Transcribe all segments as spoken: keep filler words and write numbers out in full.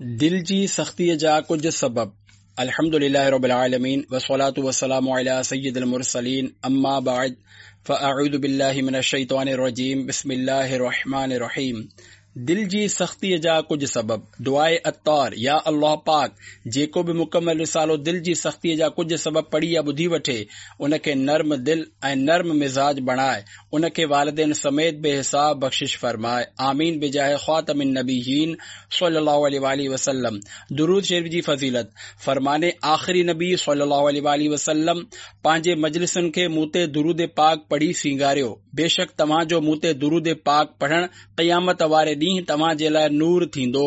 دل جي سختيء جا ڪجهه سبب. الحمد لله رب العالمين والصلاة والسلام على سيد المرسلين اما بعد فاعوذ بالله من الشيطان الرجيم بسم الله الرحمن الرحيم. دل جي سختيء جا ڪجهه سبب. دعاء عطار: يا الله پاڪ، جيڪو به مڪمل رسالو دل جي سختيء جا ڪجهه سبب پڙهي يا ٻڌي وٺي، ان کي نرم دل ۽ نرم مزاج بڻائي، ان کي والدين سميت بي حساب بخشش فرماء. آمين بجاه خاتم النبيين صلي الله عليه وآله وسلم. درود شريف جي فضيلت. فرمان آخري نبي صلي الله عليه وآله وسلم: پنهنجي مجلسن کي مون تي درود پاڪ پڙهي سينگاريو، بيشڪ توهان جو مون تي درود پاڪ پڙهڻ قيامت واري ڏينهن توهان جي لاء نور ٿيندو.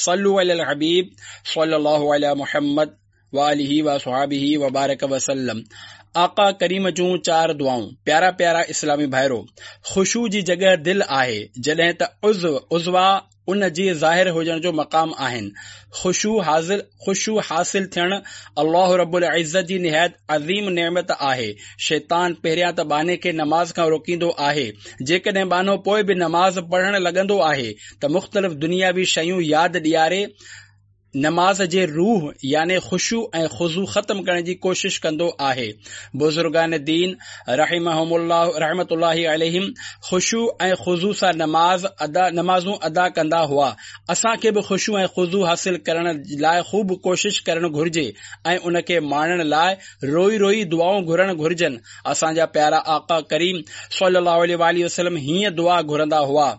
صلوا علي الحبيب صلي الله علي محمد وآله وصحابه وبارڪ وسلم. آقا ڪريم جون چار دعائون. پيارا پيارا اسلامي ڀائرو، خشوع جي جڳهه دل آهي، جڏهن ته عضو عضوا ان جي ظاهر هجڻ جو مقام آهن. خشوع حاصل خشوع حاصل ٿيڻ الله رب العزت جي نهايت عظيم نعمت آهي. شيطان پهريان ته ٻانهي کي نماز کان روڪيندو آهي. جيڪڏهن ٻانهو پوء به نماز پڙهڻ لڳندو آهي ته مختلف دنياوي شيون ياد ڏياري نماز جي روح يعني خشوع ۽ خضوع ختم ڪرڻ جي ڪوشش ڪندو آهي. بزرگان دين رحمهم الله رحمت الله عليهم خشوع ۽ خضوع سان نماز ادا نمازون ادا ڪندا هئا. اسان کي به خشوع ۽ خضوع حاصل ڪرڻ لاء خوب ڪوشش ڪرڻ گهرجي ۽ ان کي ماڻڻ لاء روئي روئي دعائون گهرڻ گهرجن. اسان جا پيارا آقا ڪريم صلي الله عليه وآله وسلم هيئن دعا گهرندا هئا: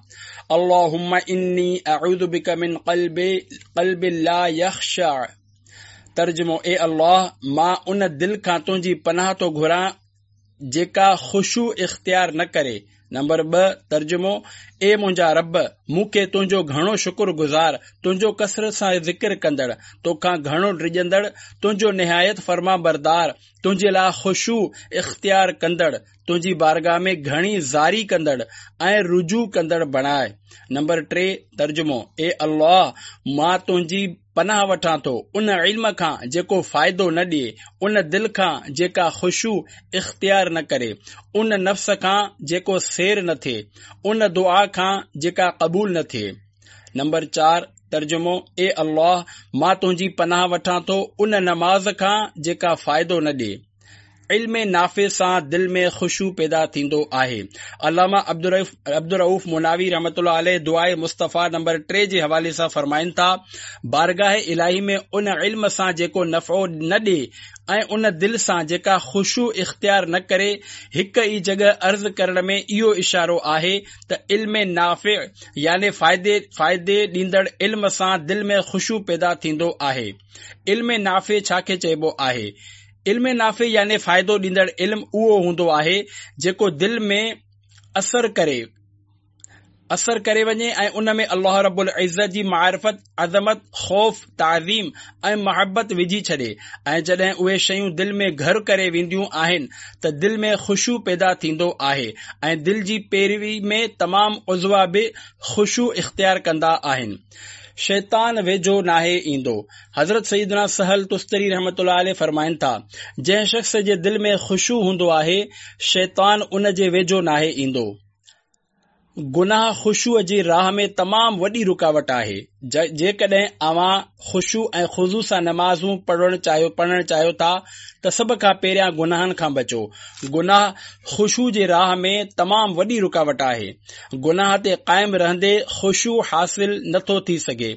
اللهم اني اعوذ بك من قلب قلب لا يخشع. ترجمو: اي الله، مان ان دل کان تنهنجي پناهه ٿو گهران جيڪا خشوع اختيار نه ڪري. نمبر ٻه، ترجمو: اي منهنجا رب، مون کي تنهنجو گهڻو شڪر گذار، تنهنجو ڪثرت سان ذڪر ڪندڙ، توکان گهڻو ڊڄندڙ، تنهنجو نهايت فرمانبردار، تنهنجي لاء خشوع اختيار ڪندڙ، تنهنجي بارگاهه ۾ گهڻي زاري ڪندڙ ۽ رجوع ڪندڙ بڻاء. نمبر ٽي، ترجمو: اي الله، مان تنهنجي پناهه وٺان ٿو ان علم کان جيڪو فائدو نه ڏئي، ان دل کان جيڪا خشوع اختيار نه ڪري، ان نفس کان جيڪو سير نه ٿئي، ان دعا کان جيڪا قبول نه ٿئي. نمبر چار، ترجمو: اي الله، مان تنهنجي پناهه وٺان ٿو ان نماز کان جيڪا فائدو نه ڏئي. علم نافع سان دل ۾ خشوع پيدا ٿيندو آهي. علامه عبدالرؤف مناوي رحمة الله عليه دعاء مصطفيٰ نمبر ٽي جي حوالي سان فرمائن ٿا: بارگاهه الاهي ۾ ان علم سان جيڪو نفعو نه ڏئي ۽ ان دل سان جيڪا خشوع اختيار نه ڪري، هڪ ئي جڳهه عرض ڪرڻ ۾ اهو اشارو آهي ته علم نافع يعني فائدي فائدي ڏيندڙ علم سان دل ۾ خشوع پيدا ٿيندو آهي. علم نافع ڇا کي چئبو آهي؟ علم نافع يعني فائدو ڏيندڙ علم اهو هوندو آهي جيڪو دل ۾ اثر ڪري اثر ڪري وڃي ۽ ان ۾ الله رب العزت جي معرفت، عظمت، خوف، تعظيم ۽ محبت وجهي ڇڏي ۽ جڏهن اهي شيون دل ۾ گهر ڪري وينديون آهن ته دل ۾ خشوع پيدا ٿيندو آهي ۽ دل جي پيروي ۾ تمام عضوا به خشوع اختيار ڪندا آهن. شيطان ويجهو ناهي ايندو. حضرت سيدنا سهل تستري رحمة الله عليه فرمائن ٿا، جنهن شخص جي دل ۾ خشوع هوندو آهي، شيطان ان جي ويجهو ناهي ايندو. گناهه خشوع جي راهه ۾ تمام وڏي رڪاوٽ آهي. جيڪڏهن اوهان خشوع ۽ خضوع سان نمازون پڙهڻ چاهيو پڙهڻ چاهيو ٿا ته سڀ کان پهريان گناهن کان بچو. گناهه خشوع جي راهه ۾ تمام وڏي رڪاوٽ آهي. گناهه تي قائم رهندي خشوع حاصل نٿو ٿي سگهي.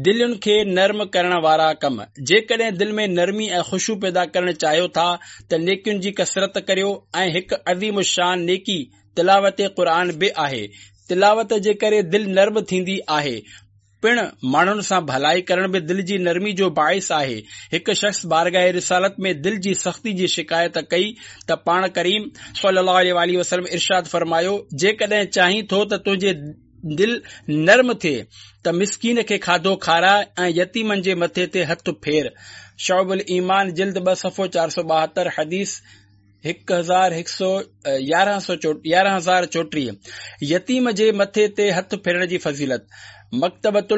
دلين کي نرم ڪرڻ وارا ڪم. جيڪڏهن دل ۾ نرمي ۽ خشوع پيدا ڪرڻ چاهيو ٿا ته نيڪين جي ڪثرت ڪريو ۽ هڪ عظيم الشان نيڪي تلاوت قرآن به آهي. تلاوت جي ڪري دل نرم ٿيندي آهي. پڻ ماڻهن سان ڀلائي ڪرڻ به دل جي نرمي جو باعث آهي. هڪ شخص بارگاهه رسالت ۾ دل جي سختي جي شڪايت ڪئي ته پاڻ ڪريم صلي الله عليه واٰله وسلم ارشاد فرمايو، جيڪڏهن چاهين ٿو ته تنهنجي دل نرم ٿئي ته مسڪين کي کاڌو کاراء ۽ يتيمن جي مٿي تي هٿ ڦير. شعب الايمان جلد ٻه صفحو چار سؤ ٻاهتر حديث هڪ هزار هڪ سؤ يارهن سؤ يارهن هزار چوٽيهه. يتيم جي مٿي تي هٿ ڦيرڻ جي فضيلت. مڪتبة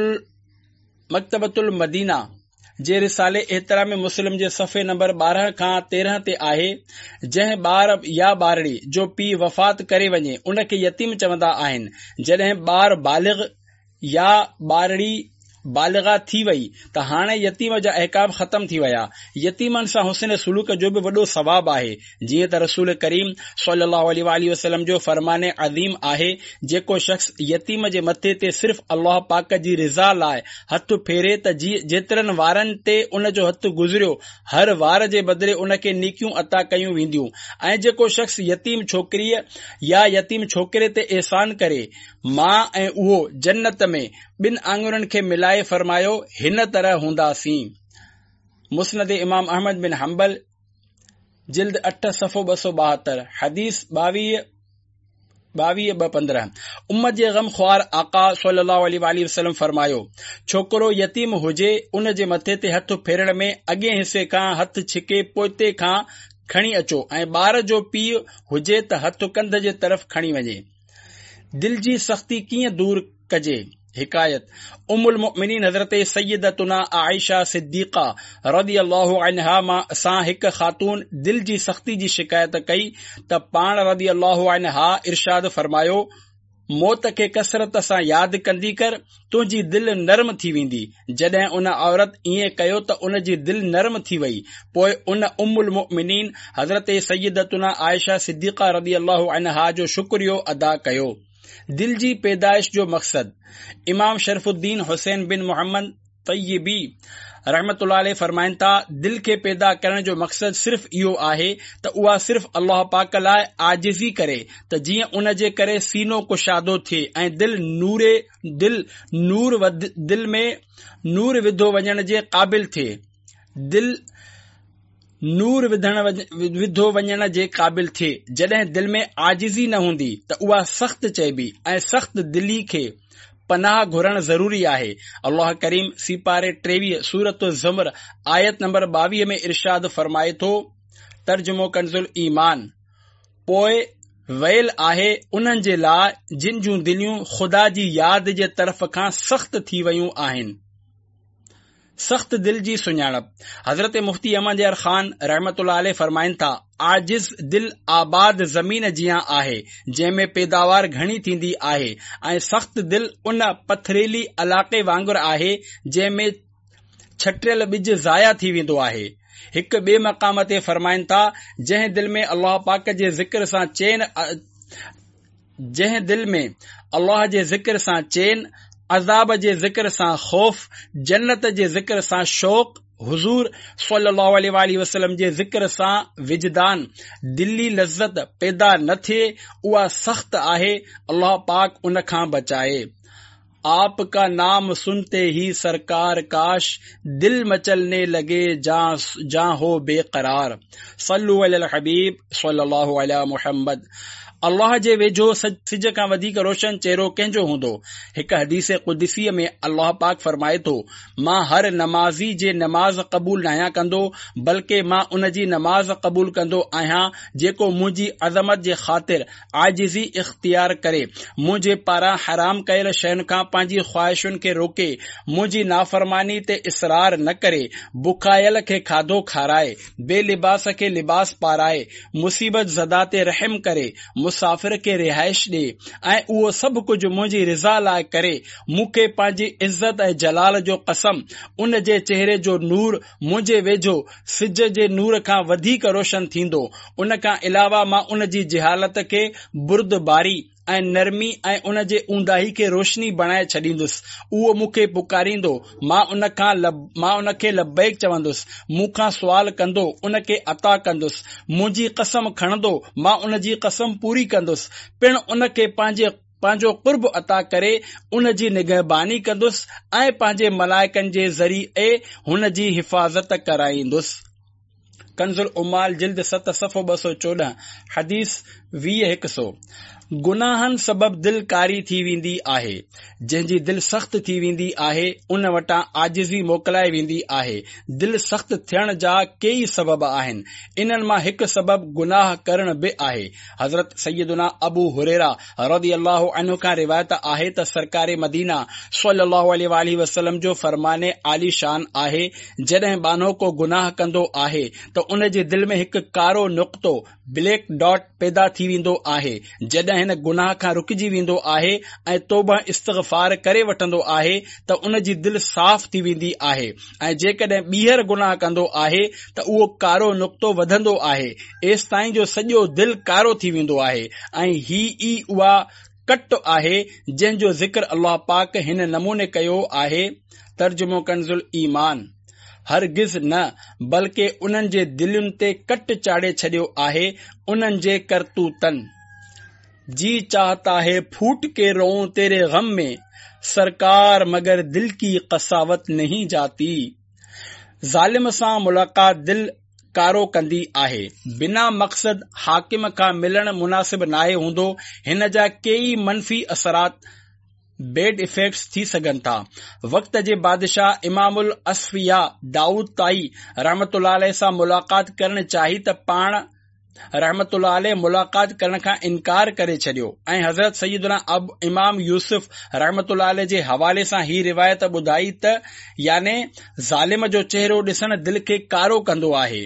مڪتبة المدينه جي رسالي احترام مسلم جي صفحي نمبر ٻارهن کان تيرهن تي آهي، جنهن ٻار يا ٻارڙي جو پيء وفات ڪري وڃي ان کي يتيم چوندا آهن. جڏهن ٻار بالغ يا ٻارڙي بالغه ٿي وئي ته هاڻي يتيم جا احڪام ختم ٿي ويا. يتيمن سان حسن سلوڪ جو به وڏو ثواب آهي، جيئن ته رسول ڪريم صلي الله عليه وآله وسلم جو فرمان عظيم آهي، جيڪو شخص يتيم جي مٿي تي صرف الله پاڪ جي رضا لاء هٿ ڦيري ته جيترن وارن تي ان جو هٿ گذريو هر وار جي بدلي ان کي نيڪيون عطا ڪيون وينديون، ۽ جيڪو شخص يتيم ڇوڪريء يا يتيم ڇوڪري تي احسان ڪري، مان ۽ اهو جنت ۾ ٻن آڱرين کي ملائي فرمايو هن طرح هونداسين. مسند امام احمد بن حنبل جلد اٺ صفحو ٻه سؤ ٻاهتر، حديث ٻاويهه ٻاويهه ٻه پندرهن. امت جي غم خوار آقا صلي الله عليه وآله وسلم فرمايو، ڇوڪرو يتيم هجي ان جي مٿي تي هٿ ڦيرڻ ۾ اڳئين حصي کان هٿ ڇڪي پوئتي کان کڻي اچو ۽ ٻار جو پيء هجي ته هٿ ڪنڌ جي طرف کڻي وڃي. دل جي سختي ڪيئن دور ڪجي؟ حڪايت ام المؤمنين حضرت سيدتنا عائشه صديقه رضي الله عنها مان سان هڪ خاتون دل جي سختي جي شڪايت ڪئي ته پاڻ رضي الله عنها ارشاد فرمايو، موت کي ڪثرت سان ياد ڪندي ڪر، تنهنجي دل نرم ٿي ويندي. جڏهن ان عورت ائين ڪيو ته ان جي دل نرم ٿي وئي. پوء ان ام المؤمنين حضرت سيدتنا عائشه صديقه رضي الله عنها جو شڪريو ادا ڪيو. دل جي پيدائش جو مقصد. امام شرف الدين حسين بن محمد طيبي رحمة الله عليه فرمائن ٿا، دل کي پيدا ڪرڻ جو مقصد صرف اهو آهي ته اها صرف الله پاڪ لاء عاجزي ڪري ته جيئن ان جي ڪري سينو ڪشادو ٿئي ۽ دل نوري دل نور دل ۾ نور وڌو وڃڻ جي قابل ٿئي. دل نور وڌڻ وڌو وڃڻ جي قابل ٿئي. جڏهن دل ۾ عاجزي نه هوندي ته اها سخت چئبي ۽ سخت دلي کي پناهه گهرڻ ضروري آهي. الله ڪريم سيپاري ٽيويهه سورة الزمر آيت نمبر ٻاويهه ۾ ارشاد فرمائي ٿو، ترجمو ڪنز الايمان، پوء ويل آهي انهن جي لاء جن جون دليون خدا جي ياد جي طرف کان سخت ٿي ويون آهن. سخت دل جي سڃاڻپ. حضرت مفتي احمد يار خان رحمة الله عليه فرمائن ٿا، عاجز دل آباد زمين جيان آهي، جنهن ۾ پيداوار گهڻي ٿيندي آهي ۽ سخت دل ان پٿريلي علائقي وانگر آهي جنهن ۾ ڇٽيل ٻج ضايع ٿي ويندو آهي. هڪ ٻئي مقام تي فرمائن ٿا، جنهن دل ۾ الله پاڪ جي ذڪر سان چين جنهن دل ۾ الله جي ذڪر سان چين، عذاب جي ذڪر سان خوف، جنت جي ذڪر سان شوق، حضور صلي الله عليه وآله وسلم جي ذڪر سان وجدان، دلي لذت پيدا نه ٿئي، اها سخت آهي، الله پاڪ ان کان بچائي. آپ کا نام سنتے ہی سرکار کاش دل مچلنے لگے جاں جاں ہو بے قرار. صلو علی الحبيب صلي الله علي محمد. الله جي ويجهو سج کان وڌيڪ روشن چهرو ڪنهن جو هوندو؟ هڪ حديث قدسيء ۾ الله پاڪ فرمائي ٿو، مان هر نمازي جي نماز قبول ناهيان ڪندو، بلڪه مان ان جي نماز قبول ڪندو آهيان جيڪو منهنجي عظمت جي خاطر عاجزي اختيار ڪري، منهنجي پاران حرام ڪيل شين کان پنهنجي خواهشن کي روڪي، منهنجي نافرماني تي اصرار نه ڪري، بکايل کي کاڌو کارائي، بي لباس کي لباس پارائي، مصيبت زده تي رحم ڪري، مسافر کي رهائش ڏي ۽ اهو سڀ ڪجهه منهنجي رضا لاء ڪري، مون کي پنهنجي عزت ۽ جلال جو قسم، ان جي چهري جو نور منهنجي ويجهو سج جي نور کان وڌيڪ روشن ٿيندو. ان کان علاوه مان ان جي جهالت کي بردباري ۽ نرمي ۽ ان جي اونداهي کي روشني بڻائي ڇڏيندس. اهو مون کي پڪاريندو، مان ان کان مان ان کي لبيڪ چوندس. مون کان سوال ڪندو، ان کي عطا ڪندس. منهنجي قسم کڻندو، مان ان جي قسم پوري ڪندس. پڻ ان کي پنهنجي پنهنجو قرب عطا ڪري ان جي نگهباني ڪندس ۽ پنهنجي ملائڪن جي ذريعي هن جي حفاظت ڪرائيندس. ڪنز العمال جلد ست صفحو ٻه سؤ چوڏهن، حديث ويهه هڪ سؤ. گناهن سبب دل ڪاري ٿي ويندي آهي. جنهن جي دل سخت ٿي ويندي آهي، ان وٽان عاجزي موڪلائي ويندي آهي. دل سخت ٿيڻ جا ڪيئي سبب آهن. انهن مان هڪ سبب گناهه ڪرڻ به آهي. حضرت سيدنا ابو هريره رضي الله عنه کان روايت آهي ته سرڪار مدينه صلي الله عليه واٰله وسلم جو فرمان عالي شان آهي، جڏهن ٻانهو ڪو گناهه ڪندو آهي ته ان جي دل ۾ هڪ ڪارو نقطو، Black Dot، پيدا ٿي ويندو آهي، جڏهن جيڪڏهن هن گناهه کان رڪجي ويندو آهي ۽ توبه استغفار ڪري وٺندو آهي ته ان جي دل صاف ٿي ويندي آهي ۽ جيڪڏهن ٻيهر گناهه ڪندو آهي ته اهو ڪارو نقطو وڌندو آهي ايستائين جو سڄو دل ڪارو ٿي ويندو آهي ۽ هي ئي اها ڪٽ آهي جنهن جو ذڪر الله پاڪ هن نموني ڪيو آهي. ترجمو ڪنز الايمان، هرگز نه بلڪه انهن جي دلين تي ڪٽ چاڙهي ڇڏيو آهي انهن جي ڪرتوتن. جي چاهتا هي ڦوٽ ڪي روئون تيري غم ۾ سرڪار مگر دل ڪي قساوت نهين جاتي. ظالم سان ملاقات دل ڪارو ڪندي آهي. بنا مقصد حاڪم کان ملڻ مناسب ناهي هوندو. هن جا ڪيئي منفي اثرات، Bad Effects، ٿي سگهن ٿا. وقت جي بادشاهه امام الاصفياء دائود طائي رحمة الله عليه سان ملاقات ڪرڻ چاهي ته پاڻ رحمة الله عليه ملاقات ڪرڻ کان انڪار ڪري ڇڏيو ۽ حضرت سيدنا امام يوسف رحمة الله عليه جي حوالي سان هي روايت ٻڌائي ته يعني ظالم جو چهرو ڏسڻ دل کي ڪارو ڪندو آهي.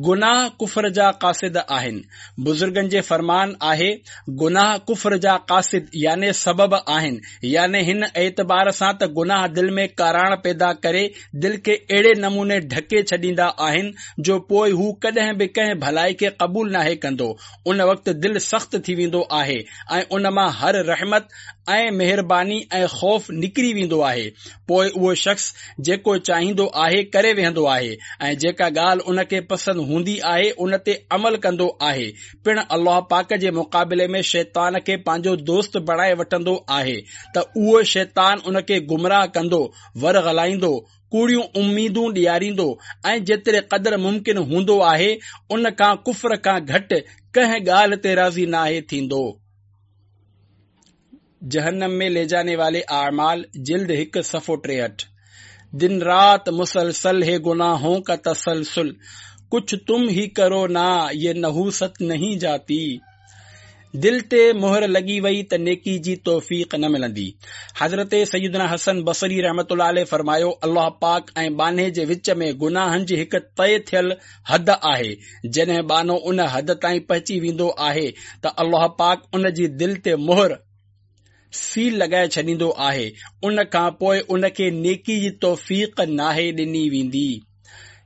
گناهه ڪفر جا قاصد آهن. بزرگن جي فرمان آهي، گناهه ڪفر جا قاصد يعني سبب آهن، يعني هن اعتبار سان ته گناهه دل ۾ ڪاراڻ پيدا ڪري دل کي اهڙي نموني ڍڪي ڇڏيندا آهن جو پوء هو ڪڏهن به ڪنهن ڀلائي کي قبول ناهي ڪندو. ان وقت دل سخت ٿي ويندو آهي ۽ ان مان هر رحمت ۽ مهرباني ۽ خوف نڪري ويندو آهي. پوء اهو شخص جيڪو چاهيندو آهي ڪري ويهندو آهي ۽ جيڪا ڳالهه ان کي پسند هوندي آهي ان تي عمل ڪندو آهي. پڻ الله پاڪ جي مقابلي ۾ شيطان کي پنهنجو دوست بڻائي وٺندو آهي ته اهو شيطان ان کي گمراهه ڪندو، ورغلائيندو، ڪوڙيون اميدون ڏياريندو ۽ جيتري قدر ممڪن هوندو آهي ان کان ڪفر کان گهٽ ڪنهن ڳالهه تي راضي ناهي ٿيندو. جهنم ۾ لي جاني والي اعمال جلد هڪ صفحو ٽيهٺ. دن رات مسلسل هي گناهون ڪا تسلسل ڪڇ تم هي ڪرو نا يه نحوست نهين جاتي. دل تي مهر لڳي وئي ته نيڪي جي توفيق نه ملندي. حضرت سيدنا حسن بصري رحمة الله عليه فرمايو، الله پاڪ ۽ ٻانهي جي وچ ۾ گناهن جي هڪ طئي ٿيل حد آهي، جڏهن ٻانهو ان حد تائين پهچي ويندو آهي ته الله پاڪ ان جي دل تي مهر، سيل، لڳائي ڇڏيندو آهي، ان کان پوء ان کي نيڪي جي توفيق ناهي ڏني ويندي.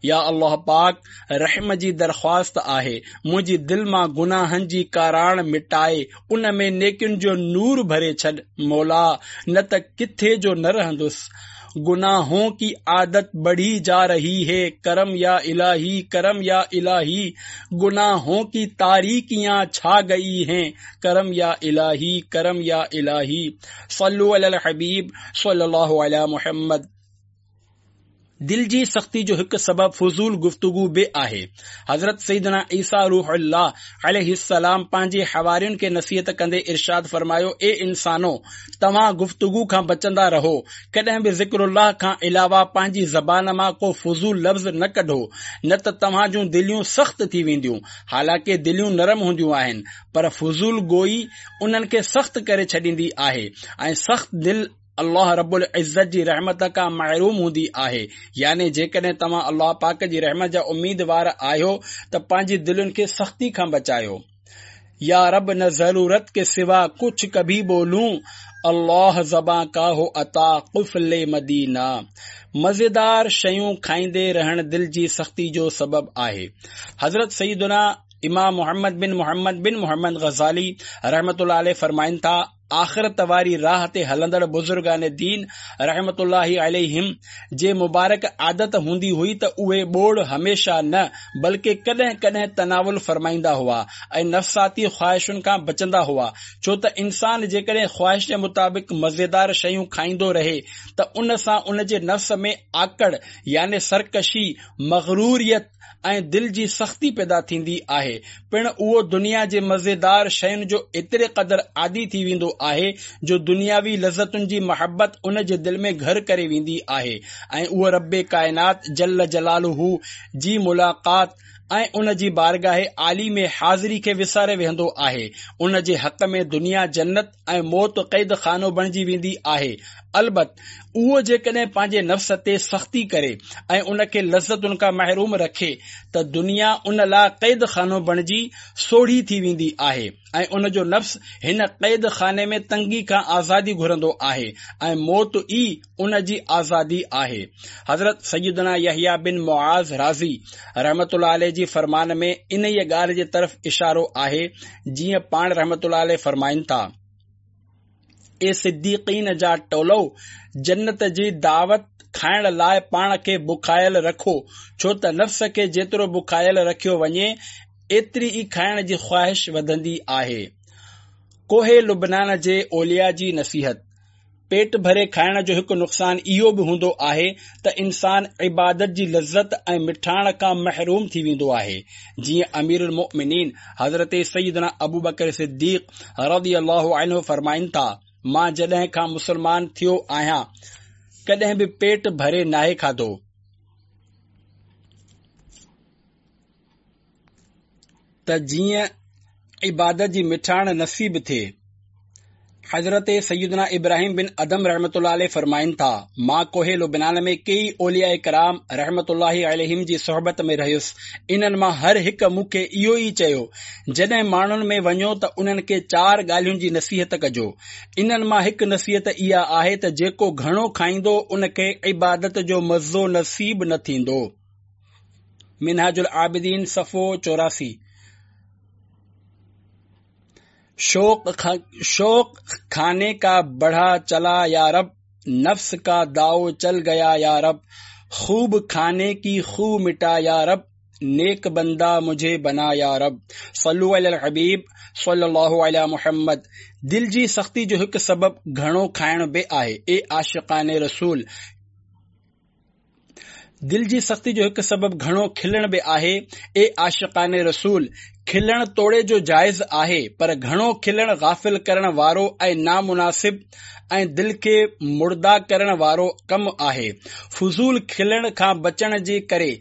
يا الله پاڪ رحم جي درخواست آهي، منهنجي دل مان گناهن جي ڪاراڻ مٽائي ان ۾ نيڪين جو نور ڀري ڇڏ، مولا نه ته ڪٿي جو نه رهندس. گناهون ڪي عادت بڙهي جا رهي هي ڪرم يا الٰهي ڪرم يا الٰهي گناهون ڪي تاريڪيان ڇا گئي هين ڪرم يا الٰهي ڪرم يا الٰهي صلو علي الحبيب صلي الله علي محمد. دل جي سختي جو هڪ سبب فضول گفتگو به آهي. حضرت سيدنا عيسيٰ روح الله عليه السلام پنهنجي حوارين کي نصيحت ڪندي ارشاد فرمايو، اي انسانو! توهان گفتگو کان بچندا رهو، ڪڏهن به ذڪر الله کان علاوه پنهنجي زبان مان ڪو فضول لفظ نه ڪڍو، نه ته توهان جون دليون سخت ٿي وينديون، حالانڪه دليون نرم هونديون آهن، پر فضول گوئي انهن کي سخت ڪري ڇڏيندي آهي ۽ سخت دل الله رب العزت جي رحمت کان محروم هوندي آهي، يعني جيڪڏهن توهان الله پاڪ جي رحمت جا اميدوار آهيو ته پنهنجي دلين کي سختي کان بچايو. يا رب نه ضرورت ڪي سوا ڪڇ ڪڀي بولون الله زبان ڪا هو عطا قفل مدينه. مزيدار شيون کائيندي رهڻ دل جي سختي جو سبب آهي. حضرت سيدنا امام محمد بن محمد بن محمد غزالي رحمة الله عليه فرمائن ٿا، آخرت واري راهه تي هلندڙ بزرگان دين رحمة الله عليهم جي مبارڪ عادت هوندي هئي ته اهي ٻوڙ هميشه نه بلڪه ڪڏهن ڪڏهن تناول فرمائيندا هئا ۽ نفساتي خواهشن کان بچندا هئا ڇو ته انسان جيڪڏهن خواهش جي مطابق مزيدار شيون کائيندو رهي ته ان سان ان جي نفس ۾ آڪڙ يعني سرڪشي، مغروريت، ۽ دل جي سختي پيدا ٿيندي آهي. پڻ اهو دنيا جي مزيدار شين جو ايتري قدر عادي ٿي ويندو آهي جو دنياوي لذتن جي محبت ان جي دل ۾ گهر ڪري ويندي آهي ۽ اهو رب ڪائنات جل جلاله جي ملاقات ۽ ان جي بارگاهه عالي ۾ حاضري کي وساري ويهندو آهي. ان جي حق ۾ دنيا جنت ۽ موت قيد خانو بڻجي ويندي آهي. البت اهو جيڪڏهن پنهنجي نفس تي سختي ڪري ۽ ان کي لذتن کان محروم رکي ته دنيا ان لاء قيد خانو بڻجي سوڙهي ٿي ويندي آهي ۽ ان جو نفس هن قيد خاني ۾ تنگي کان آزادي گهرندو آهي ۽ موت ئي ان جي آزادي آهي. حضرت سيدنا يحيٰ بن معاذ رازي رحمة الله عليه جي فرمان ۾ انهيء ڳالهه جي طرف اشارو آهي، جيئن پاڻ رحمة الله عليه فرمائن ٿا، اي صديقين جا ٽولو! جنت جي دعوت کائڻ لاء پاڻ کي بکايل رکو، ڇو ته نفس کي جيترو بکايل رکيو وڃي، ايتري ئي کائڻ جي خواهش وڌندي آهي. ڪوهه لبنان جي اولياء جي نصيحت، پيٽ ڀري کائڻ جو هڪ نقصان اهو به هوندو آهي ته انسان عبادت جي لذت ۽ مٺاڻ کان محروم ٿي ويندو آهي. جيئن امير المؤمنين حضرت سيدنا ابوبڪر صديق رضي الله عنه فرمائن ٿا، مان جڏهن کان مسلمان ٿيو آهيان ڪڏهن به پيٽ ڀري ناهي کاڌو. ته جيئن عبادت جي مٺاڻ نصيب ٿئي. حضرت سيدنا ابراهيم بن ادهم رحمة الله عليه فرمائن ٿا، مان ڪوهه لبنان ۾ ڪيئي اولياء ڪرام رحمة الله عليهم جي صحبت ۾ رهيس، انهن مان هر هڪ مون کي اهو ئي چيو، جڏهن ماڻهن ۾ وڃو ته انهن کي چار ڳالهين جي نصيحت ڪجو. انهن مان هڪ نصيحت اها آهي ته جيڪو گهڻو کائيندو ان کي عبادت جو مزو نصيب نه ٿيندو. منهاج العابدين صفحو چوراسي. شوق شوق کاني کا بڙها چلا يا رب، نفس کا داؤ چل گيا يا رب، خوب کاني ڪي خو مٽا يا رب، نيڪ بنده مجهي بنا يا رب. صلو علي الحبيب صلي الله علي محمد. دل جي سختي جو هڪ سبب گهڻو کائڻ به آهي. اي عاشقان رسول! دل جي سختي جو هڪ سبب گهڻو کلڻ به آهي. اي عاشقان رسول! کلڻ توڙي جو جائز آهي، پر گهڻو کلڻ غافل ڪرڻ وارو ۽ نامناسب ۽ دل کي مڙدا ڪرڻ وارو ڪم آهي. فضول کلڻ کان بچڻ جي ڪري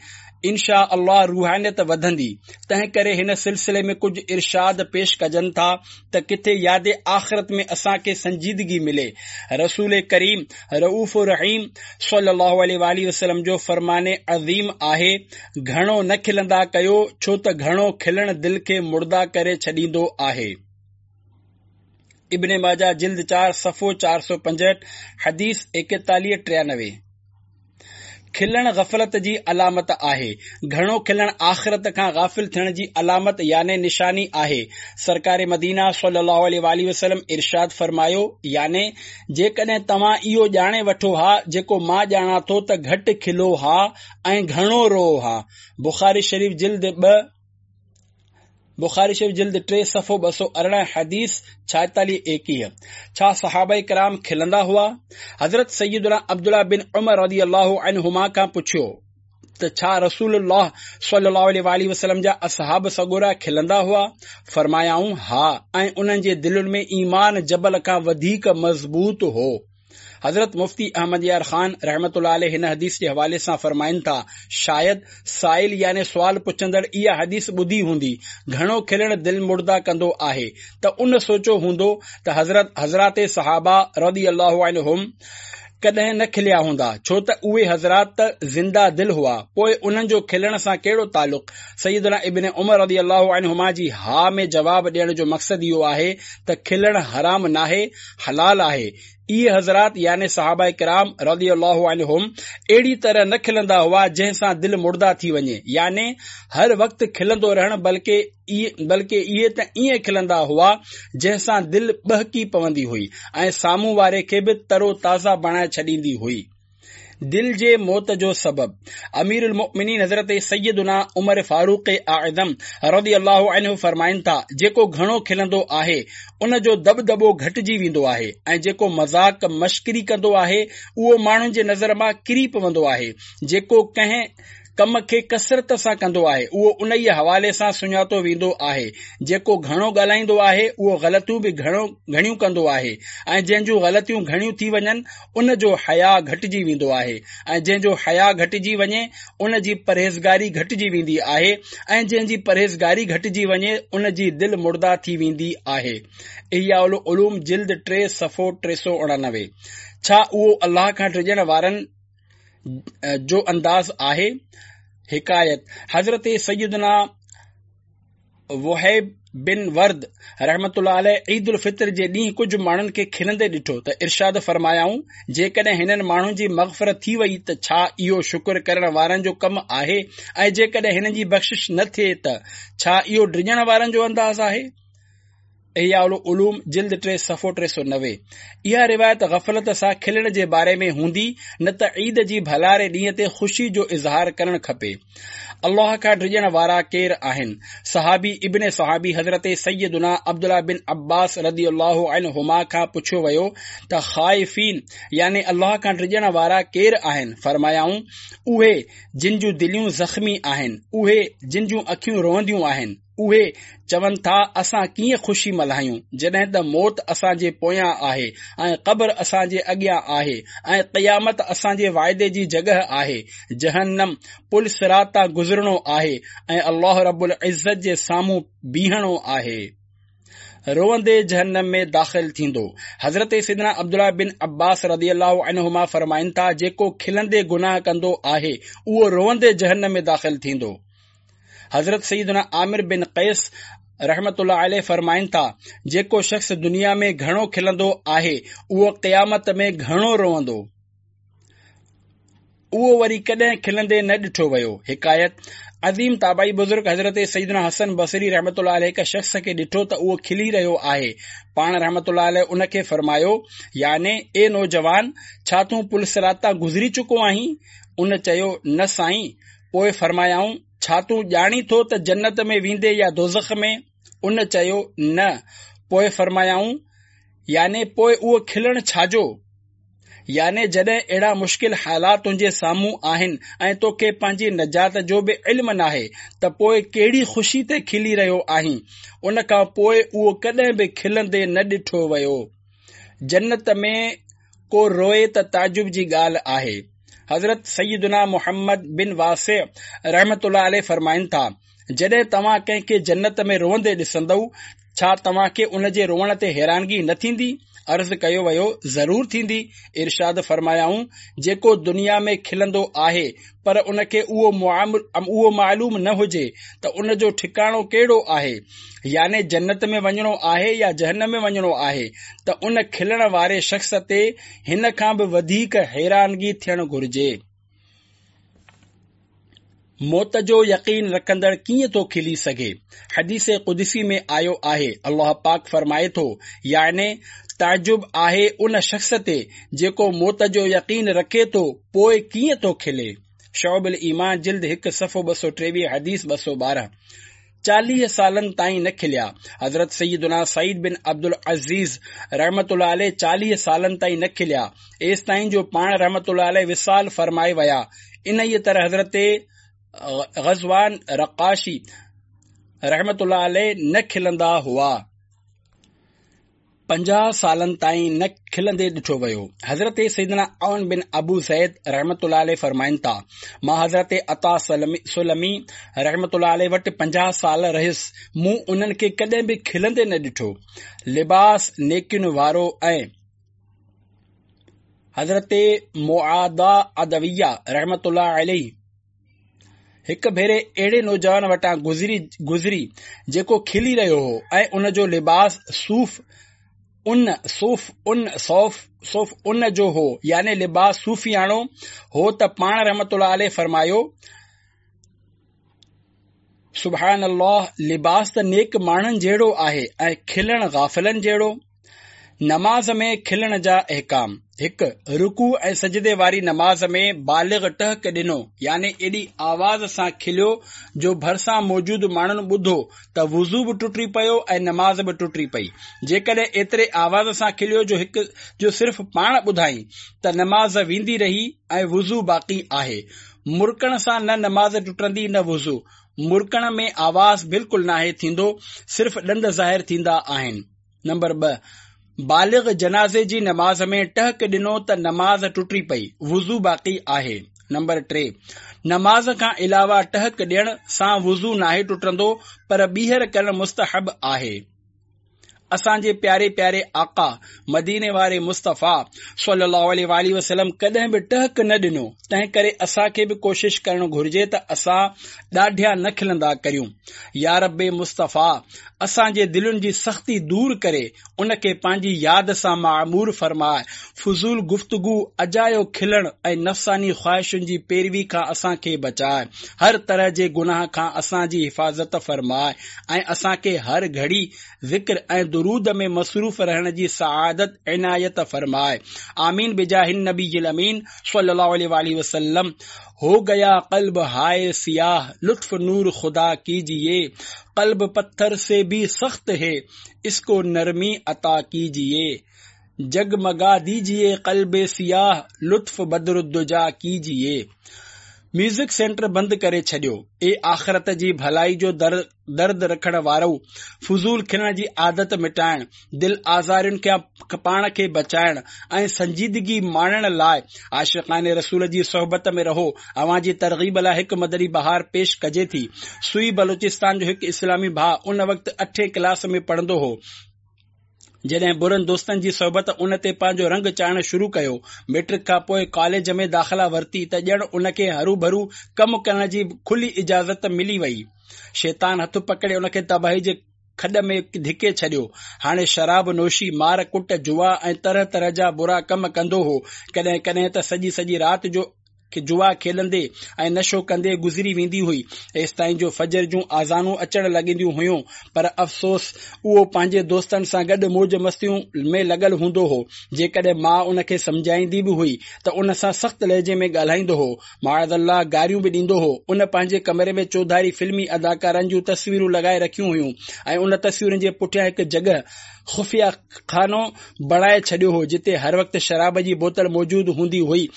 انشاء الله روحانيت وڌندي. تنهنڪري هن سلسلي ۾ ڪجهه ارشاد پيش ڪجن ٿا ته ڪٿي ياد آخرت ۾ اسان کي سنجيدگي ملي. رسول ڪريم رؤف رحيم صلي الله عليه واٰله وسلم جو فرمان عظيم آهي، گهڻو نه کلندا ڪيو ڇو ته گهڻو کلڻ دل کي مڙدا ڪري ڇڏيندو آهي. ابن ماجه جلد چار صفحو چار سؤ پنجهٺ حديث ايڪيتاليهه ٽيانوي. کلڻ غفلت جي علامت آهي. گهڻو کلڻ آخرت کان غافل ٿيڻ جي علامت يعني نشاني آهي. سرڪار مدينه صلي الله عليه واٰله وسلم ارشاد فرمايو، يعني جيڪڏهن توهان اهو ڄاڻي وٺو ها جيڪو مان ڄاڻان ٿو ته گهٽ کلو ها ۽ گهڻو روئو ها. بخاري شريف جلد ٻه. بخاري شريف جلد ٽي صفحو ٻه سؤ ارڙهن حديث ڇائيتاليهه ايڪيهه. ڇا صحابه ڪرام کلندا هئا؟ حضرت سيدنا عبدالله بن عمر رضي الله عنهما کان پڇيو ته ڇا رسول الله صلي الله عليه واٰله وسلم جا اصحاب سڳورا کلندا هئا؟ فرمايائون ها ۽ انهن جي دلين ۾ ايمان جبل کان وڌيڪ مضبوط هو. حضرت مفتي احمد يار خان رحمة الله عليه هن حديث جي حوالي سان فرمائن ٿا، شايد سائل يعني سوال پڇندڙ اها حديث ٻڌي هوندي، گهڻو کلڻ دل مڙدا ڪندو آهي، ته ان سوچيو هوندو ته حضرت حضرات صحابه رضي الله عنهم ڪڏهن نه کليا هوندا، ڇو ته اهي حضرات ته زنده دل هئا، پوء انهن جو کلڻ سان ڪهڙو تعلق؟ سيدنا ابن عمر رضي الله عنهما جي ها ۾ جواب ڏيڻ جو مقصد اهو آهي ته کلڻ حرام ناهي، حلال آهي. اهي حضرات يعني صحابه ڪرام رضي الله عنهم اهڙي طرح نه کلندا هئا جنهن سان دل مڙدا ٿي وڃي يعني هر وقت کلندو رهڻ بلڪه بلڪه اهي ته ائين کلندا هئا جنهن سان دل ٻهڪي پوندي هئي ۽ سامهون واري کي به ترو تازه بڻائي ڇڏيندي هئي. دل جي موت جو سبب امير المؤمنين حضرت سيدنا عمر فاروق اعظم رضي الله عنه فرمائن ٿا، جيڪو گهڻو کلندو آهي ان جو دٻدٻو گهٽجي ويندو آهي ۽ جيڪو مذاق مشڪري ڪندو آهي اهو ماڻهن جي نظر مان ڪري پوندو آهي، جيڪو ڪنهن ڪم کي ڪثرت سان ڪندو آهي اهو انهيء حوالي سان سڃاتو ويندو آهي، جيڪو گهڻو ڳالهائيندو آهي اهو غلطيون به گهڻو گهڻيون ڪندو آهي ۽ جنهن جون غلطيون گهڻيون ٿي وڃن ان جو حياء گهٽجي ويندو آهي ۽ جنهن جو حياء گهٽجي وڃي ان جي پرهيزگاري گهٽجي ويندي آهي ۽ جنهن جي پرهيزگاري گهٽجي وڃي ان جي دل مرده ٿي ويندي آهي. احياء العلوم جلد ٽي صفحو ٽي سؤ اڻانوي. ڇا اهو الله کان ڊڄڻ وارن جو انداز آهي؟ حڪايت: حضرت سيدنا وهيب بن ورد رحمة الله عليه عيد الفطر جي ڏينهن ڪجهه ماڻهن کي کلندي ڏٺو ته ارشاد فرمايائون، جيڪڏهن هنن ماڻهن جي مغفرت ٿي وئي ته ڇا اهو شڪر ڪرڻ وارن جو ڪم آهي ۽ جيڪڏهن هنن جي بخشش نه ٿئي ته ڇا اهو ڊڄڻ وارن جو انداز آهي؟ احياء العلوم جلد ٽي صفحو ٽي سؤ نوي. اها روايت غفلت سان کلڻ جي باري ۾ هوندي نه ته عيد جي ڀلاري ڏينهن تي خوشي جو اظهار ڪرڻ کپي. الله کان ڊڄڻ وارا ڪير آهن؟ صحابي ابن صحابي حضرت سيدنا عبدالله بن عباس رضي الله عنهما کان پڇيو ويو ته خائفين يعني الله کان ڊڄڻ وارا ڪير آهن؟ فرمايائون، اهي جن جون دليون زخمي آهن، اهي جن جون اکيون روئنديون آهن. اهي چون ٿا، اسان ڪيئن خوشي ملهايون، جڏهن ته موت اسان جي پويان آهي ۽ قبر اسان جي اڳيان آهي ۽ قيامت اسان جي واعدي جي جڳهه آهي، جهنم، پل صراط تان گذرڻو آهي ۽ الله رب العزت جي سامهون بيهڻو آهي. روئندي جهنم ۾ داخل ٿيندو. حضرت سيدنا عبدالله بن عباس رضي الله عنهما فرمائن ٿا، جيڪو کلندي گناهه ڪندو آهي، اهو روئندي جهنم ۾ داخل ٿيندو. حضرت سيدنا عامر بن قيس رحمة الله عليه فرمائن ٿا، جيڪو شخص دنيا ۾ گهڻو کلندو آهي، اهو قيامت ۾ گهڻو روئندو. اهو وري ڪڏهن کلندي نه ڏٺو ويو. حڪايت: عظيم تابعي بزرگ حضرت سيدنا حسن بصري رحمة الله عليه هڪ شخص کي ڏٺو ته اهو کلي رهيو آهي. پاڻ رحمة الله عليه ان کي فرمايو، يعني اي نوجوان! ڇا تون پل صراط تان گذري چڪو آهين؟ ان چيو، نه سائين! پوء فرمايائون، ڇا تون ڄاڻين ٿو ته جنت ۾ ويندين يا دوزخ ۾؟ ان چيو، نه. پوء فرمايائون، يعني پوء اهو کلڻ ڇا جو؟ يعني جڏهن اهڙا مشڪل حالات تنهنجي سامهون آهن ۽ توکي پنهنجي نجات جو به علم ناهي ته پوء ڪهڙي خوشي تي کلي رهيو آهين؟ ان کان پوء اهو ڪڏهن به کلندي نه ڏٺو ويو. جنت ۾ ڪو روئي ته تعجب جي ڳالهه آهي. حضرت سيدنا محمد بن واسع رحمة الله عليه فرمائن ٿا، جڏهن توهان ڪنهن کي جنت ۾ روئندي ڏسندؤ، ڇا توهان کي ان جي روئڻ تي حيرانگي نه ٿيندي؟ عرض ڪيو ويو، ضرور ٿيندي. ارشاد فرمايائون، جيڪو دنيا ۾ کلندو آهي پر ان کي اهو معلوم نه هجي ته ان جو ٺڪاڻو ڪهڙو آهي، يعني جنت ۾ وڃڻو آهي يا جهنم ۾ وڃڻو آهي ته ان کلڻ واري شخص تي هن کان به وڌيڪ حيرانگي ٿيڻ گهرجي. موت جو يقين رکندڙ ڪيئن ٿو کلي سگهي؟ حديث قدسي ۾ آيو آهي، الله پاڪ فرمائي ٿو، يعني تعجب آهي ان شخص تي جيڪو موت جو يقين رکي ٿو پوء ڪيئن ٿو کلي؟ شعب الايمان جلد هڪ صفحو ٻه سؤ ٽيويهه حديث ٻه سؤ ٻارهن. چاليهه سالن تائين نه کليا. حضرت سيدنا سعيد بن عبدالعزيز رحمة الله عليه چاليهه سالن تائين نه کليا، ايستائين جو پاڻ رحمة الله عليه وصال فرمائي ويا. انهيء طرح حضرت غزوان رقاشي رحمة الله عليه نه کلندا هئا. پنجاهه سالن تائين نه کلندي ڏٺو ويو. حضرت سيدنا عون بن ابو زيد رحمة الله عليه فرمائن ٿا، مان حضرت عطا سلمي رحمة الله عليه وٽ پنجاهه سال رهيس، مون انهن کي ڪڏهن به کلندي نه ڏٺو. لباس نيڪين وارو ۽. حضرت معاذ عدويه رحمة الله عليه هڪ ڀيري اهڙي نوجوان وٽان گذري گذري جيڪو کلي رهيو هو ۽ ان جو لباس صوف ان صوف ان صوف صوف ان جو هو يعني لباس صوفياڻو هو ته پاڻ رحمت الله عليه فرمايو سبحان الله لباس ته نيڪ ماڻهن جهڙو آهي ۽ کلڻ غافلن جهڙو. نماز ۾ کلڻ جا احڪام، هڪ. رڪوع ۽ سجدي واري نماز ۾ بالغ ٽهڪ ڏنو يعني ايڏي آواز سان کليو جو ڀرسان موجود ماڻهن ٻڌو ته وضو به ٽٽي پيو ۽ نماز به ٽٽي پئي. جيڪڏهن ايتري آواز سان کليو جو هڪ جو صرف پاڻ ٻڌائين ته نماز ويندي رهي ۽ وضو باقي آهي. مرڪڻ سان نه نماز ٽٽندي نه وضو. مرڪڻ ۾ آواز بلڪل ناهي ٿيندو صرف ڏند ظاهر ٿيندا آهن. نمبر ٻه، بالغ جنازي جي نماز ۾ ٽهڪ ڏنو ته نماز ٽٽي پئي، وضو باقي آهي. نمبر ٽي، نماز کان علاوه ٽهڪ ڏيڻ سان وضو ناهي ٽٽندو پر ٻيهر ڪرڻ مستحب آهي. اسان جي پياري پياري آقا مديني واري مصطفيٰ صلي الله عليه واٰله وسلم ڪڏهن به ٽهڪ نه ڏنو، تنهن ڪري اسان کي به ڪوشش ڪرڻ گهرجي ته اسان ڏاڍيان نه کلندا ڪريون. يا رب مصطفيٰ اسان جي دلين جي سختي دور ڪري ان کي پنهنجي ياد سان معمور فرماء. فضول گفتگو، اجايو کلڻ ۽ نفساني خواهشن جي پيروي کان اسان کي بچاء. هر طرح جي گناهه کان اسان جي حفاظت فرماء ۽ اسان کي هر گهڙي ذڪر ۽ درود ۾ مصروف رهڻ جي سعادت عنايت فرماء. آمين بجاه النبي الامين صلي الله عليه واٰله وسلم. هو گيا قلب هاء سياه لطف نور خدا ڪيجيي، قلب پٿر سي ڀي سخت هي اس ڪو نرمي عطا ڪيجيي، جگمگا ديجيي قلب سياه لطف بدر الدجيٰ ڪيجيي. ميوزڪ سينٽر بند ڪري ڇڏيو. اي آخرت جي ڀلائي جو درد رکڻ وارؤ! فضول کلڻ جي عادت مٽائڻ، دل آزارين کان پاڻ کي بچائڻ ۽ سنجيدگي ماڻڻ لاء عاشقان رسول جي صحبت ۾ رهو. اوهان جي ترغيب لاء هڪ مدني بهار پيش ڪجي ٿي. سوئي بلوچستان جو هڪ اسلامي ڀاء ان وقت اٺين ڪلاس ۾ پڙهندو هو، جڏهن برن دوستن جي صحبت ان تي پنهنجو رنگ چاڙهڻ شروع ڪيو. ميٽرڪ کان پوء ڪاليج ۾ داخلا ورتي ته ڄڻ ان کي هروڀرو ڪم ڪرڻ جي کلي اجازت ملي وئي. شيطان هٿ پڪڙي ان کي تباهي جي کڏ ۾ ڌڪي ڇڏيو. هاڻي شراب نوشي، مار ڪٽ، جوا ۽ طرح طرح جا برا ڪم ڪندو هو. ڪڏهن ڪڏهن ته سڄي سڄي رات جو جوا کيڏندي ۽ نشو ڪندي گذري ويندي هئي، ايستائين جو فجر جون آذانون اچڻ لڳنديون هيون، پر افسوس اهو پنهنجي دوستن سان گڏ موج مستيون ۾ لڳل هوندو هو. جيڪڏهن ماء ان کي سمجهائيندي به هئي ته ان سان سخت لهجي ۾ ڳالهائيندو هو، معاذ الله گاريون به ڏيندو هو. ان پنهنجي ڪمري ۾ چوڌاري فلمي اداڪارن جون تصويرون لڳائي رکيون هيون ۽ ان تصويرن جي پٺيان هڪ جڳهه، خفيه خانو، بڻائي ڇڏيو هو، جتي هر وقت شراب جي بوتل موجود هوندي هئي.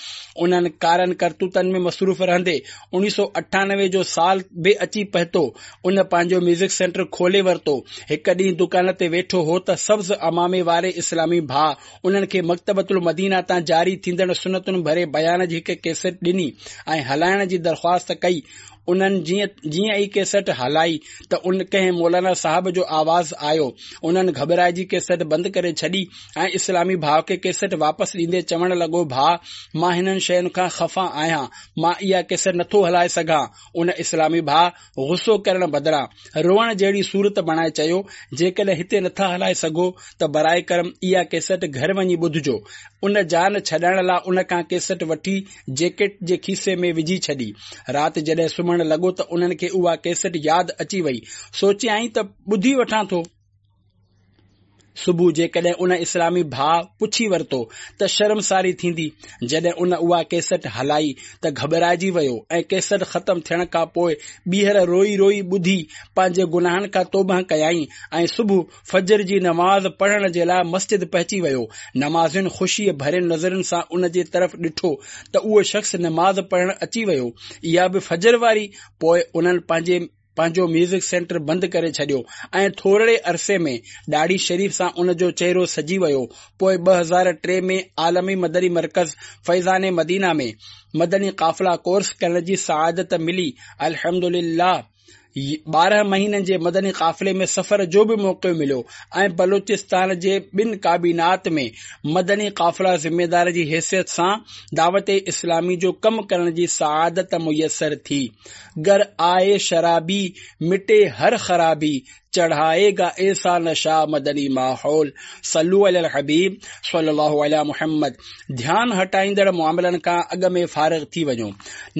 انهن ڪارن ڪرتوتن ۾ مصروف رهندي اوڻيهه سؤ اٺانوي جو سال به اچي پهتو. ان پنهنجو ميوزڪ سينٽر کولي ورتو. هڪ ڏينهن دڪان تي ويٺو هو ته سبز عمامي واري اسلامي ڀاء انهن کي مڪتبة المدينه تان جاري ٿيندڙ سنتن ڀري بيان جي هڪ ڪيسٽ ڏني ۽ هلائڻ جي درخواست ڪئي. انهن جيئن ئي ڪيسٽ هلائي ته ان ڪنهن مولانا صاحب جو آواز آيو. انهن گهٻرائجي ڪيسٽ بند ڪري ڇڏي ۽ اسلامي ڀاء کي ڪيسٽ واپس ڏيندي چوڻ لڳو، ڀاء مان هنن شين کان خفا آهيان، مان اها ڪيسٽ نٿو هلائي سگهان. ان اسلامي ڀاء غصو ڪرڻ بدران روئڻ جهڙي صورت بڻائي چيو، جيڪڏهن هتي نٿا هلائي سگهو ته براء ڪرم اها ڪيسٽ گهر وڃي ٻڌجو. ان جان ڇڏائڻ لاء ان کان ڪيسٽ وٺي جيڪيٽ جي کيسي ۾ وجهي ڇڏي. رات جڏهن سمهڻ لڳو ته انهن کي اها ڪيسٽ ياد اچي وئي. سوچيائين ته ٻڌي وٺان ٿو. صبح جيڪڏهن ان اسلامي ڀاء پڇي ورتو ته شرمساري ٿيندي. جڏهن ان اها ڪيسٽ هلائي ته گهٻرائجي ويو ۽ ڪيسٽ ختم ٿيڻ کان پوء ٻيهر روئي روئي ٻڌي پنهنجي گناهن کان توبهه ڪيائين ۽ صبح فجر جي نماز پڙهڻ جي لاء مسجد پهچي ويو. نمازين خوشيء ڀرين نظرن سان ان جي طرف ڏٺو ته اهو شخص نماز پڙهڻ اچي ويو، اها به فجر واري. پوء انهن پنهنجي پنهنجو ميوزڪ سينٽر بند ڪري ڇڏيو ۽ ٿورڙي عرصي ۾ ڏاڙهي شريف سان ان جو چهرو سجي ويو. پوء ٻه هزار ٽي ۾ عالمي مدني مرڪز فيضان مدينه ۾ مدني قافلا ڪورس ڪرڻ جي سعادت ملي. الحمدلله ٻارهن مهينن جي مدني قافلي ۾ سفر جو به موقعو مليو ۽ بلوچستان جي ٻن ڪابينات ۾ مدني قافلا ذميدار جي حيثيت سان دعوت اسلامي جو ڪم ڪرڻ جي سعادت ميسر ٿي. گر آئي شرابي مٽي هر خرابي چڙهائي گا ايسا نشا مدني ماحول صلو علی الحبيب صلي الله علي محمد ڌيان هٽائيندڙ معاملن کان اڳ ۾ فارغ ٿي وڃو.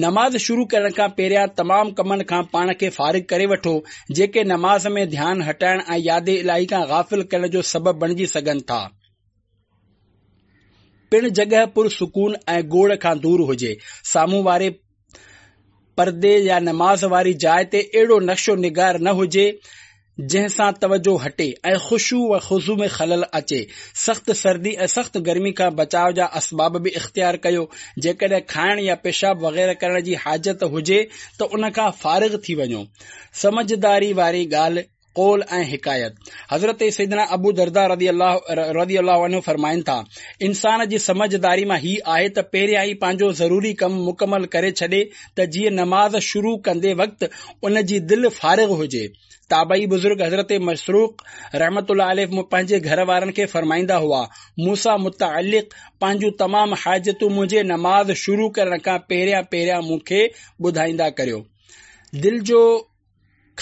نماز شروع ڪرڻ کان پهريان تمام ڪمن کان پاڻ کي فارغ ڪري وٺو جيڪي نماز ۾ ڌيان هٽائڻ ۽ ياد الاهي کان غافل ڪرڻ جو سبب بڻجي سگهن ٿا. پڻ جڳهه پرسڪون ۽ گوڙ کان دور هجي. سامهون واري پردي يا نماز واري جاء تي اهڙو نقش و نگار نه هجي جنهن سان توجهه هٽي ۽ خشوع و خضوع ۾ خلل اچي. سخت سردي ۽ سخت گرمي کان بچاء جا اسباب به اختيار ڪيو. جيڪڏهن کائڻ يا پيشاب وغيره ڪرڻ جي حاجت هجي ته ان کان فارغ ٿي وڃو. سمجهداري واري ڳالهه قول ۽ حڪايت. حضرت سيدنا ابو دردا رضي الله رضي الله عنه فرمائن ٿا، انسان جي سمجهداري مان هي آهي ته پهريان ئي پنهنجو ضروري ڪم مڪمل ڪري ڇڏي ته جيئن نماز شروع ڪندي وقت ان جي دل فارغ هجي. تابعي بزرگ حضرت مسروق رحمة الله عليه پنهنجي گهر وارن کي فرمائيندا هئا، مون سان متعلق پنهنجون تمام حاجتون منهنجي نماز شروع ڪرڻ کان پهريان پهريان مون کي ٻڌائيندا ڪريو. دل جو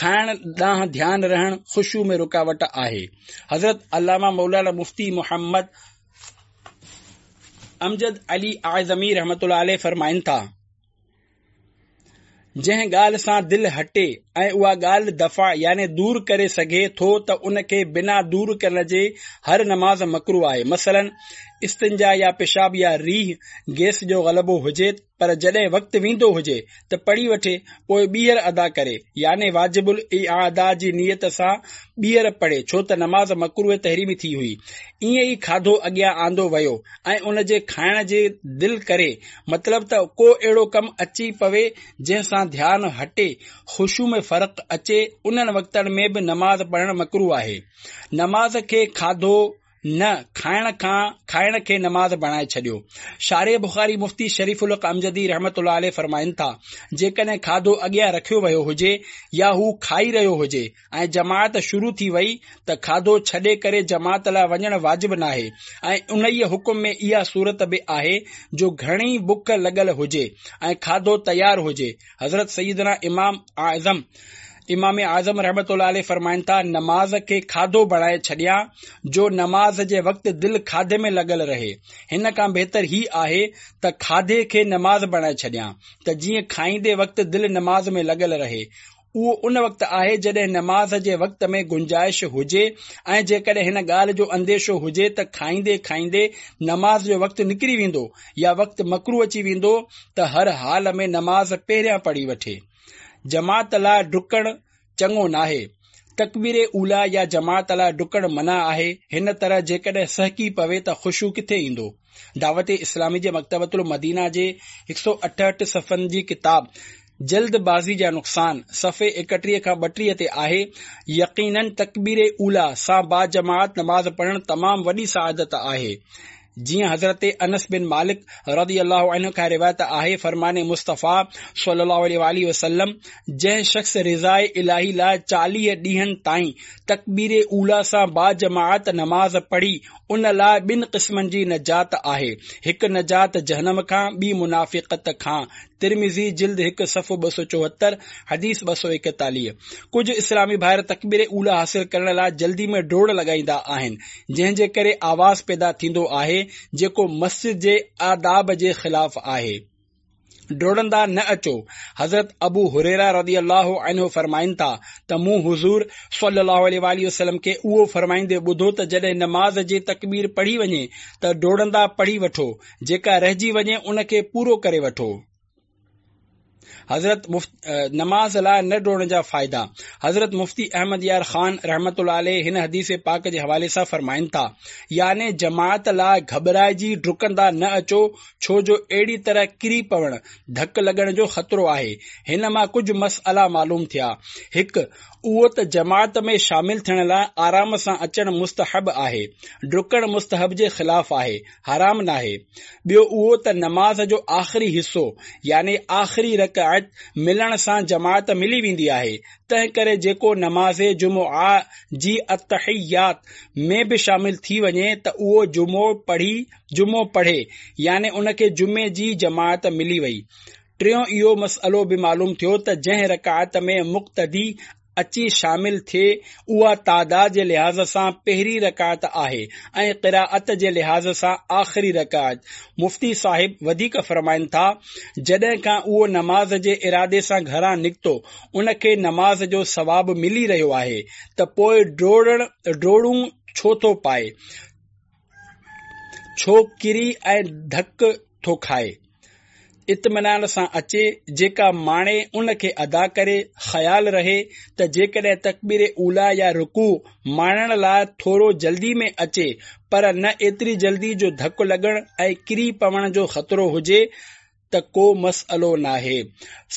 کائڻ ڏانهن ڌيان رهڻ خشوع ۾ رڪاوٽ آهي. حضرت علامه مولانا مفتي محمد امجد علي اعظمي رحمة الله عليه فرمائن ٿا، جنهن ڳالهه سان دل هٽي ۽ اها ڳالهه دفع يعني دور ڪري سگهي ٿو ته ان کي بنا دور ڪرڻ جي هر نماز مڪروه آهي. مثلاً استنجا يا پيشاب يا ريح گيس جو غلبو هجي پر جڏهن وقت ويندو هجي ته پڙهي وٺي پوء ٻيهر ادا ڪري يعني واجب الاعاده جي نيت سان ٻيهر پڙهي ڇو ته نماز مڪروه تحريمي ٿي هئي. ائين ئي کاڌو اڳيان آندو ويو ۽ ان جي کائڻ جي دل ڪري مطلب ته ڪو اهڙو ڪم اچي پوي جنهن سان ڌيان هٽي خشوع ۾ فرق اچي انهن وقتن ۾ به نماز پڙهڻ مڪروه آهي. نماز کي کاڌو نه کائڻ کان کائڻ کي نماز بڻائي ڇڏيو. شارح بخاري مفتي شريف الحق امجدي رحمة الله عليه فرمائن ٿا، جيڪڏهن کاڌو اڳيان رکيو ويو هجي يا هو کائي رهيو هجي ۽ جماعت شروع ٿي وئي ته کاڌو ڇڏي ڪري جماعت لاء وڃڻ واجب ناهي ۽ انهيء حڪم ۾ اها صورت به آهي جو گهڻي بک لڳل هجي ۽ کاڌو تيار هجي. حضرت سيدنا امام اعظم امام اعظم رحمة الله عليه فرمائن ٿا، نماز کي کاڌو بڻائي ڇڏيان جو نماز جي وقت دل کاڌي ۾ لڳل رهي. هن کان بهتر هي آهي ته کاڌي کي نماز بڻائي ڇڏيان ته جيئن کائيندي وقت دل نماز ۾ لڳل رهي. اهو ان وقت آهي جڏهن نماز جي وقت ۾ گنجائش هجي ۽ جيڪڏهن هن ڳالهه جو انديشو هجي ته کائيندي کائيندي نماز جو وقت نڪري ويندو يا وقت مڪروه اچي ويندو ته هر حال ۾ نماز پهريان پڙهي وٺي. جماعت لاء ڊڪڻ چڱو ناهي. تڪبير اوليٰ يا جماعت لاء ڊڪڻ منع آهي. هن طرح جيڪڏهن سهڪي پوي ته خشوع ڪٿي ايندو؟ دعوت اسلامي جي مڪتبة المدينه جي هڪ سؤ اٺهٺ صفحن جي ڪتاب جلد بازي جا نقصان صفحي ايڪٽيهه کان ٻٽيهه تي آهي، يقيناً تڪبير اوليٰ سان باجماعت نماز پڙهڻ تمام وڏي سعادت آهي. جيئن حضرت انس بن مالڪ رضي الله عنه کان روايت آهي، فرمان مصطفيٰ صلي الله عليه واٰله وسلم، جنهن شخص رضاء الاهي لاء چاليهه ڏينهن تائين تڪبير اوليٰ سان باجماعت نماز پڙهي ان لاء ٻن قسمن جي نجات آهي، هڪ نجات جهنم کان، ٻي منافقت کان. ترمذي جلد هڪ صفحو ٻه سؤ چوهتر، حديث ٻه سؤ ايڪيتاليهه. ڪجهه اسلامي ڀائر تڪبير اوليٰ حاصل ڪرڻ لاء جلدي ۾ ڊوڙ لڳائيندا آهن، جنهن جي ڪري آواز پيدا ٿيندو آهي، جيڪو مسجد جي آداب جي خلاف آهي. ڊوڙندا نه اچو. حضرت ابو هريره رضي الله عنه فرمائن ٿا ته مون حضور صلي الله عليه واٰله وسلم کي اهو فرمائيندي ٻڌو ته جڏهن نماز جي تڪبير پڙهي وڃي ته ڊوڙندا پڙهي وٺو، جيڪا رهجي وڃي ان کي پورو ڪري وٺو. حضرت نماز لاء نه ڊوڙڻ جا فائدا. حضرت مفتي احمد يار خان رحمة الله عليه هن حديث پاڪ جي حوالي سان فرمائن ٿا، يعني جماعت لاء گهٻرائجي ڊڪندا نه اچو ڇو جو اهڙي طرح ڪري پوڻ، ڌڪ لڳڻ جو خطرو آهي. هن مان ڪجهه مسئلا معلوم ٿيا. هڪ. اهو ته جماعت ۾ شامل ٿيڻ لاء آرام سان اچڻ مستحب آهي، ڊڪڻ مستحب جي خلاف آهي، حرام ناهي. ٻيو اهو ته نماز جو آخري حصو يعني آخري رڪعت ملڻ سان جماعت ملي ويندي آهي، تنهنڪري جيڪو نماز جمعه جي التحيات ۾ به شامل ٿي وڃي ته اهو جمعو پڙهي جمعو پڙهي يعني ان کي جمعي جي جماعت ملي وئي. ٽيون اهو مسئلو به معلوم ٿيو ته جنهن رڪعت ۾ مقتدي اچي شامل ٿئي اها تعداد جي لحاظ سان پهرين رڪعت آهي ۽ قرائت جي لحاظ سان آخري رڪعت. مفتي صاحب وڌيڪ فرمائن ٿا، جڏهن کان اهو نماز جي ارادي سان گهران نڪتو ان کي نماز جو ثواب ملي رهيو آهي ته پوء ڊوڙڻ ڊوڙون ڇو ٿو پائي، ڇو ڪري ۽ ڌڪ ٿو کائي. اطمينان سان اچي، جيڪا ماڻي ان کي ادا ڪري، خيال رهي ته جيڪڏهن تڪبير اوليٰ يا رڪوع ماڻڻ لاء ٿورو جلدي ۾ اچي پر نه ايتري جلدي جو ڌڪ لڳڻ ۽ ڪري پوڻ جو خطرو هجي، ته ڪو مسئلو ناهي.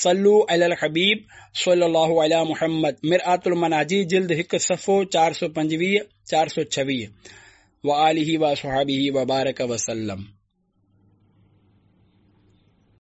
صلو علي الحبيب صلي الله علي محمد مرآة المناجي جلد هڪ صفحو چار سؤ پنجويهه چار سؤ ڇويهه وآله وصحبه وبارڪ وسلم.